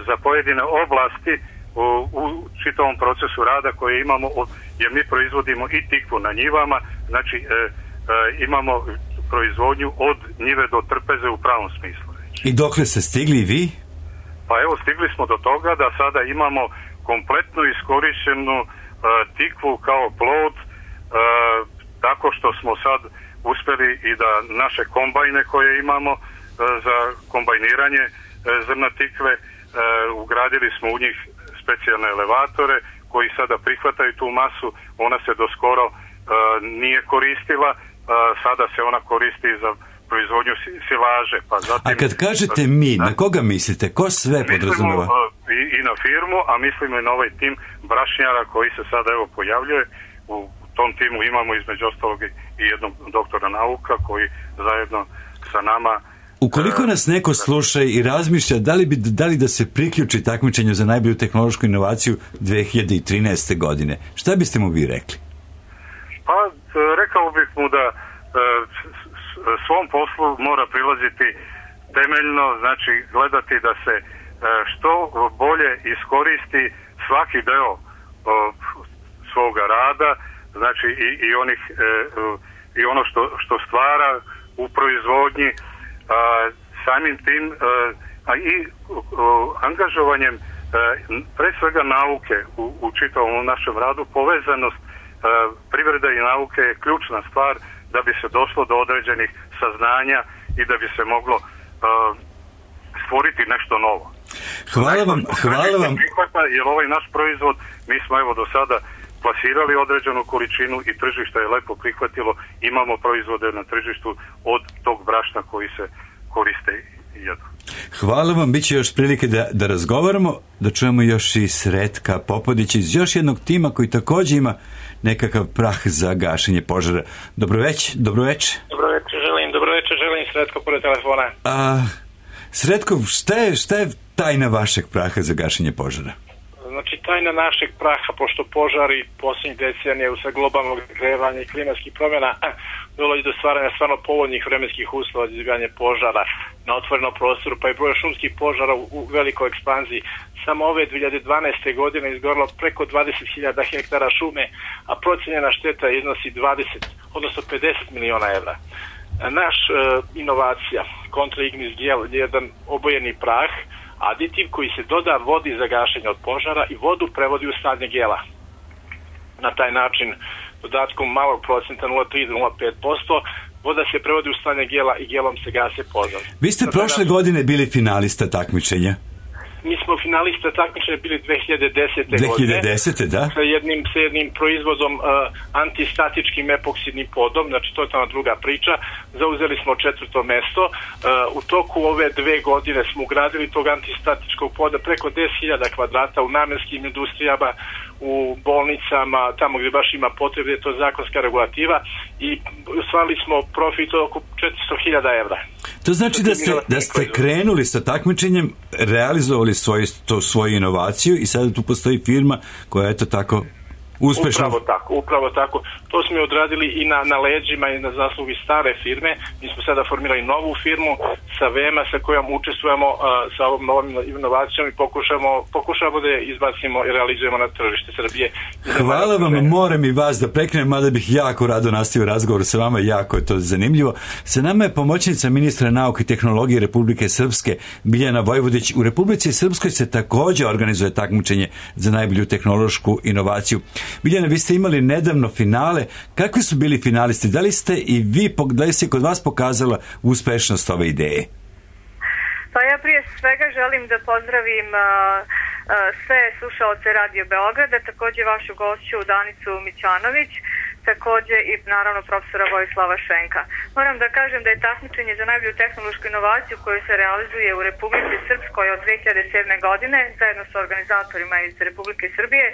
za pojedine oblasti u, u čitavom procesu rada koje imamo, od, jer mi proizvodimo i tikvu na njivama, znači uh, uh, imamo proizvodnju od njive do trpeze u pravom smislu. I dokle ste stigli i vi? Pa evo, stigli smo do toga da sada imamo kompletno iskorišćenu uh, tikvu kao plod, uh, tako što smo sad uspeli i da naše kombajne koje imamo za kombajniranje zrna tikve, ugradili smo u njih specijalne elevatore koji sada prihvataju tu masu. Ona se doskoro nije koristila, sada se ona koristi za proizvodnju silaže. Pa zatim, a kad kažete mi, na koga mislite? Ko sve podrazumeva? I, i na firmu, a mislimo i na ovaj tim brašnjara koji se sada evo pojavljuje. U tom timu imamo između ostalog i jednog doktora nauka koji zajedno sa nama. Ukoliko nas neko sluša i razmišlja da li, bi, da li da se priključi takmičenju za najbolju tehnološku inovaciju dve hiljade trinaeste. godine, šta biste mu vi rekli? Pa rekao bih mu da svom poslu mora prilaziti temeljno, znači gledati da se što bolje iskoristi svaki deo svoga rada, znači i, i onih i ono što, što stvara u proizvodnji, samim tim a i angažovanjem pre svega nauke u, u čitavom našem radu. Povezanost privrede i nauke je ključna stvar da bi se došlo do određenih saznanja i da bi se moglo uh, stvoriti nešto novo. Hvala vam, hvala vam. Jer ovaj naš proizvod, mi smo evo do sada plasirali određenu količinu i tržište je lepo prihvatilo. Imamo proizvode na tržištu od tog brašna koji se koriste i jedu. Hvala vam, bit će još prilike da, da razgovaramo, da čujemo još i Sretka Popodića iz još jednog tima koji također ima nekakav prah za gašenje požara. Dobroveć, dobroveče. Dobroveče želim, dobroveče želim, Sretko pored telefona. A, Sretko, šta je, šta je tajna vašeg praha za gašenje požara? Znači, tajna našeg praha, pošto požari posljednjih decenija usled globalnog grevanja i klimatskih promjena dolazi do stvaranja stvarno povoljnih vremenskih uslova za izbijanje požara na otvorenom prostoru, pa je broj šumskih požara u, u velikoj ekspanziji. Samo ove dve hiljade dvanaeste. godine izgorilo preko dvadeset hiljada hektara šume, a procijenjena šteta iznosi dvadeset, odnosno pedeset miliona evra. Naš e, inovacija, Contra Ignis Gel, je jedan obojeni prah, aditiv koji se doda vodi za gašenje od požara i vodu prevodi u stanje gela. Na taj način, dodatkom malog procenta nula zarez tri do nula zarez pet posto, voda se prevodi u stanje gela i gelom se gase požar. Vi ste na prošle način... godine bili finalista takmičenja. Mi smo finalista takmičenja bili dve hiljade desete. dve hiljade desete. godine. Da. Sa jednim, sa jednim proizvodom uh, antistatičkim epoksidnim podom, znači to je tamo druga priča. Zauzeli smo četvrto mesto. Uh, u toku ove dve godine smo ugradili tog antistatičkog poda preko deset hiljada kvadrata u namenskim industrijama, u bolnicama, tamo gdje baš ima potrebe, je to zakonska regulativa i ostvarili smo profit oko četiristo hiljada evra. To znači da ste, da ste krenuli sa takmičenjem, realizovali svoju, to, svoju inovaciju i sada tu postoji firma koja je to tako uspešno. Upravo tako, upravo tako. To smo odradili i na, na leđima i na zaslugi stare firme. Mi smo sada formirali novu firmu sa Vema sa kojom učestvujemo uh, sa ovom novom inovacijom i pokušamo, pokušamo da je izbacimo i realizujemo na tržište Srbije. Hvala vam, moram i vas da prekrenem, mada bih jako rado nastavio razgovor sa vama, jako je to zanimljivo. Sa nama je pomoćnica ministra nauke i tehnologije Republike Srpske, Biljana Vojvodić. U Republici Srpskoj se također organizuje takmičenje za najbolju tehnološku inovaciju. Biljana, vi ste imali nedavno finale. Kakvi su bili finalisti? Da li ste i vi, da li se kod vas pokazala uspešnost ove ideje? Pa ja prije svega želim da pozdravim uh, uh, sve slušaoce Radio Beograda, također vašu gošću Danicu Mićanović, također i naravno profesora Vojislava Šenka. Moram da kažem da je takmičenje za najbolju tehnološku inovaciju koju se realizuje u Republici Srpskoj od dve hiljade sedme. godine zajedno sa organizatorima iz Republike Srbije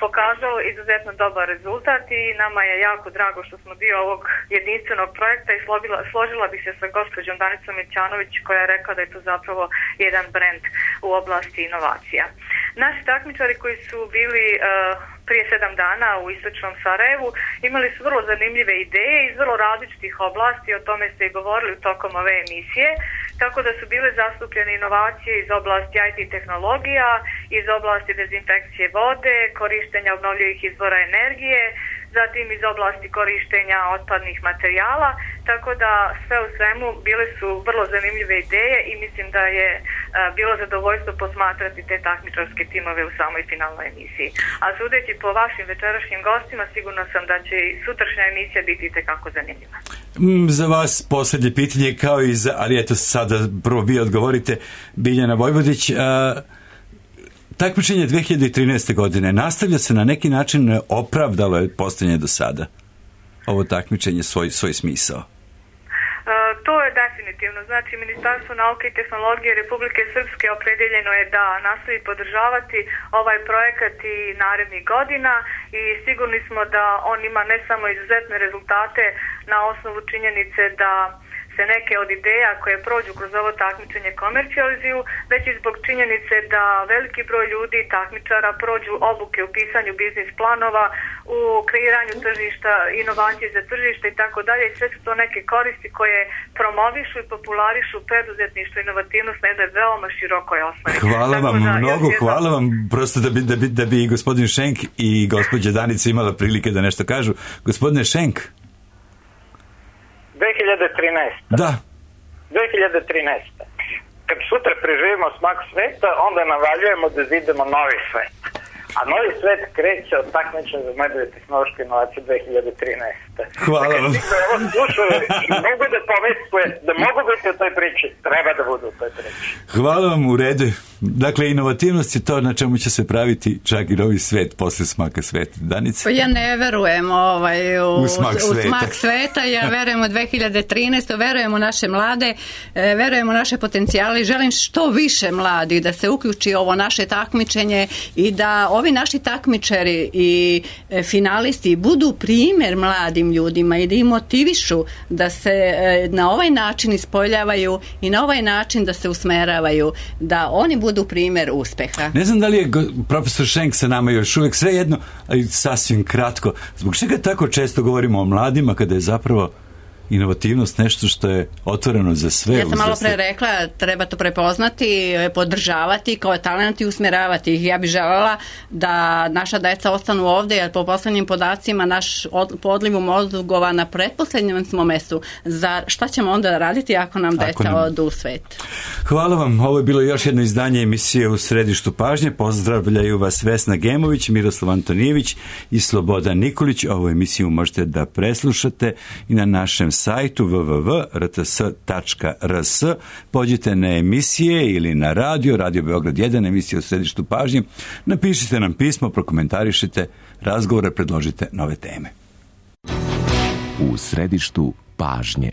pokazalo izuzetno dobar rezultat i nama je jako drago što smo dio ovog jedinstvenog projekta i složila, složila bih se sa gospođom Danicom Mićanović koja je rekla da je to zapravo jedan brend u oblasti inovacija. Naši takmičari koji su bili uh, prije sedam dana u istočnom Sarajevu imali su vrlo zanimljive ideje iz vrlo različitih oblasti, o tome ste i govorili tokom ove emisije, tako da su bile zastupljene inovacije iz oblasti I T tehnologija, iz oblasti dezinfekcije vode, korištenja obnovljivih izvora energije, zatim iz oblasti korištenja otpadnih materijala, tako da sve u svemu bile su vrlo zanimljive ideje i mislim da je uh, bilo zadovoljstvo posmatrati te takmičarske timove u samoj finalnoj emisiji. A sudeći po vašim večerašnjim gostima, sigurno sam da će i sutrašnja emisija biti itekako zanimljiva. Za vas posljednje pitanje, kao i za, ali eto sada prvo vi odgovorite, Biljana Vojvodić. A, takmičenje dve hiljade trinaeste. godine nastavlja se na neki način, opravdalo je postojanje do sada ovo takmičenje svoj, svoj smisao? To je definitivno. Znači, Ministarstvo nauke i tehnologije Republike Srpske opredeljeno je da nastavi podržavati ovaj projekat i narednih godina i sigurni smo da on ima ne samo izuzetne rezultate na osnovu činjenice da se neke od ideja koje prođu kroz ovo takmičenje komercijalizuju, već i zbog činjenice da veliki broj ljudi i takmičara prođu obuke u pisanju biznis planova, u kreiranju tržišta, inovacije za tržište i tako dalje. Sve su to neke koristi koje promovišu i popularišu preduzetništvo i inovativnost na jednoj veoma širokoj osnovi. Hvala vam da, mnogo, jedno... hvala vam prosto da bi, da, bi, da bi i gospodin Šenk i gospođa Danica imala prilike da nešto kažu. Gospodine Šenk? dve hiljade trinaeste. Da. dve hiljade trinaeste. Kad sutra preživimo smak sveta, onda navaljujemo da zidemo novi svet. A novi svet kreće od takmičenja za najbolje tehnološke inovacije dve hiljade trinaeste. Hvala vam. Dakle, ovo slušaju i mogu da pomisle da mogu biti u toj priči, treba da budu u toj priči. Hvala vam, u redu. Dakle, inovativnost je to na čemu će se praviti čak i novi svet posle smaka sveta. Danica? Pa ja ne verujem ovaj, u, u, smak, u sveta. smak sveta. Ja verujem u dve hiljade trinaeste. Verujem u naše mlade, verujem u naše potencijale. Želim što više mladi da se uključi ovo naše takmičenje i da ovi naši takmičari i finalisti budu primjer mladim ljudima i da im motivišu da se na ovaj način ispoljavaju i na ovaj način da se usmeravaju, da oni budu primjer uspeha. Ne znam da li je profesor Šenk sa nama još uvijek, sve jedno, ali sasvim kratko. Zbog čega tako često govorimo o mladima kada je zapravo inovativnost nešto što je otvoreno za sve? Ja sam malo pre rekla, treba to prepoznati, podržavati kao talent i usmjeravati ih. Ja bih željela da naša deca ostanu ovdje, jer po poslednjim podacima naš od, po odlivu mozgova na pretposlednjem smo mestu. Za šta ćemo onda raditi ako nam deca ako nam... odu u svet? Hvala vam. Ovo je bilo još jedno izdanje emisije U središtu pažnje. Pozdravljaju vas Vesna Gemović, Miroslav Antonijević i Slobodan Nikolić. Ovu emisiju možete da preslušate i na našem sajtu w w w tačka r t s tačka r s. Pođite na emisije ili na radio, Radio Beograd jedan, emisija U središtu pažnje. Napišite nam pismo, prokomentarišite razgovore, predložite nove teme. U središtu pažnje.